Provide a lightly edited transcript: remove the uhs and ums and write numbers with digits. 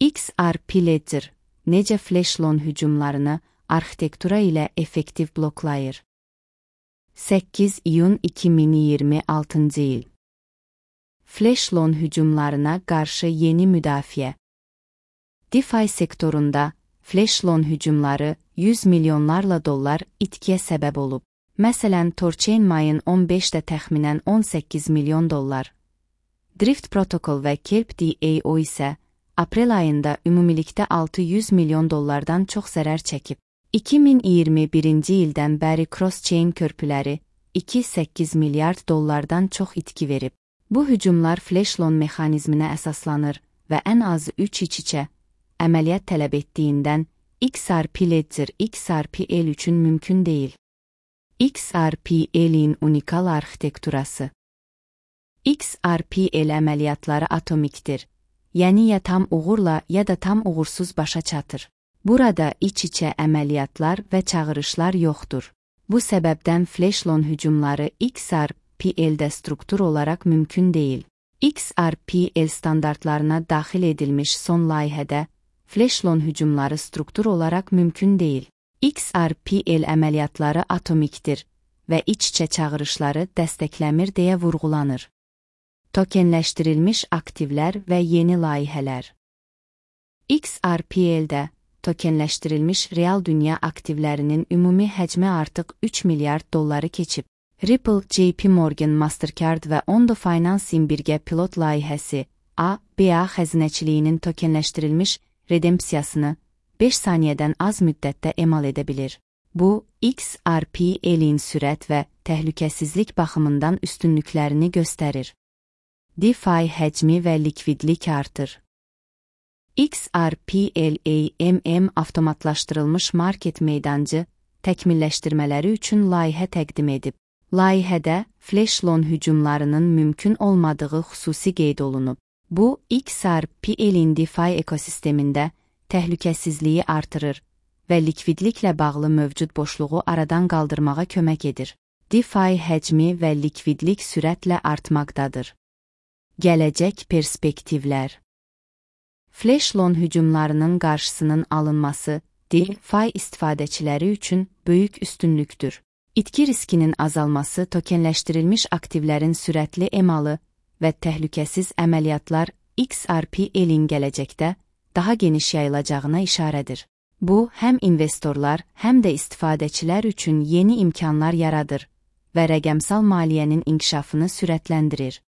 XRP Ledger necə flash loan hücumlarını arxitektura ilə effektiv bloklayır? 8 iyun 2026 il. Flash loan hücumlarına qarşı yeni müdafiə. DeFi sektorunda flash loan hücumları 100 milyonlarla dollar itkiyə səbəb olub. Məsələn, Torchain mayın 15-də təxminən 18 milyon dollar. Drift Protocol və Kelp DAO isə aprel ayında ümumilikdə 600 milyon dollardan çox zərər çəkib. 2021-ci ildən bəri cross-chain körpüləri 2,8 milyard dollardan çox itki verib. Bu hücumlar flash loan mexanizminə əsaslanır və ən azı 3 iç-içə əməliyyat tələb etdiyindən XRP Ledger XRP-L üçün mümkün deyil. XRP-L-in unikal arxitekturası. XRP-L əməliyyatları atomikdir, yəni ya tam uğurla ya da tam uğursuz başa çatır. Burada iç-içə əməliyyatlar və çağırışlar yoxdur. Bu səbəbdən flash loan hücumları XRP-L-də struktur olaraq mümkün deyil. XRP-L standartlarına daxil edilmiş son layihədə flash loan hücumları struktur olaraq mümkün deyil. XRP-L əməliyyatları atomikdir və iç-içə çağırışları dəstəkləmir deyə vurğulanır. Tokenləşdirilmiş aktivlər və yeni layihələr. XRP-L-də tokenləşdirilmiş real dünya aktivlərinin ümumi həcmi artıq 3 milyard dolları keçib. Ripple, JP Morgan, Mastercard və Ondo Finance-in birgə pilot layihəsi ABA xəzinəçiliyinin tokenləşdirilmiş redempsiyasını 5 saniyədən az müddətdə emal edə bilir. Bu, XRP-L-in sürət və təhlükəsizlik baxımından üstünlüklərini göstərir. DeFi həcmi və likvidlik artır. XRP-L AMM avtomatlaşdırılmış market meydancı təkmilləşdirmələri üçün layihə təqdim edib. Layihədə flash loan hücumlarının mümkün olmadığı xüsusi qeyd olunub. Bu, XRP-L-in DeFi ekosistemində təhlükəsizliyi artırır və likvidliklə bağlı mövcud boşluğu aradan qaldırmağa kömək edir. DeFi həcmi və likvidlik sürətlə artmaqdadır. Gələcək perspektivlər. Flash loan hücumlarının qarşısının alınması DeFi istifadəçiləri üçün böyük üstünlükdür. İtki riskinin azalması tokenləşdirilmiş aktivlərin sürətli emalı və təhlükəsiz əməliyyatlar XRP-L-in gələcəkdə daha geniş yayılacağına işarədir. Bu, həm investorlar, həm də istifadəçilər üçün yeni imkanlar yaradır və rəqəmsal maliyyənin inkişafını sürətləndirir.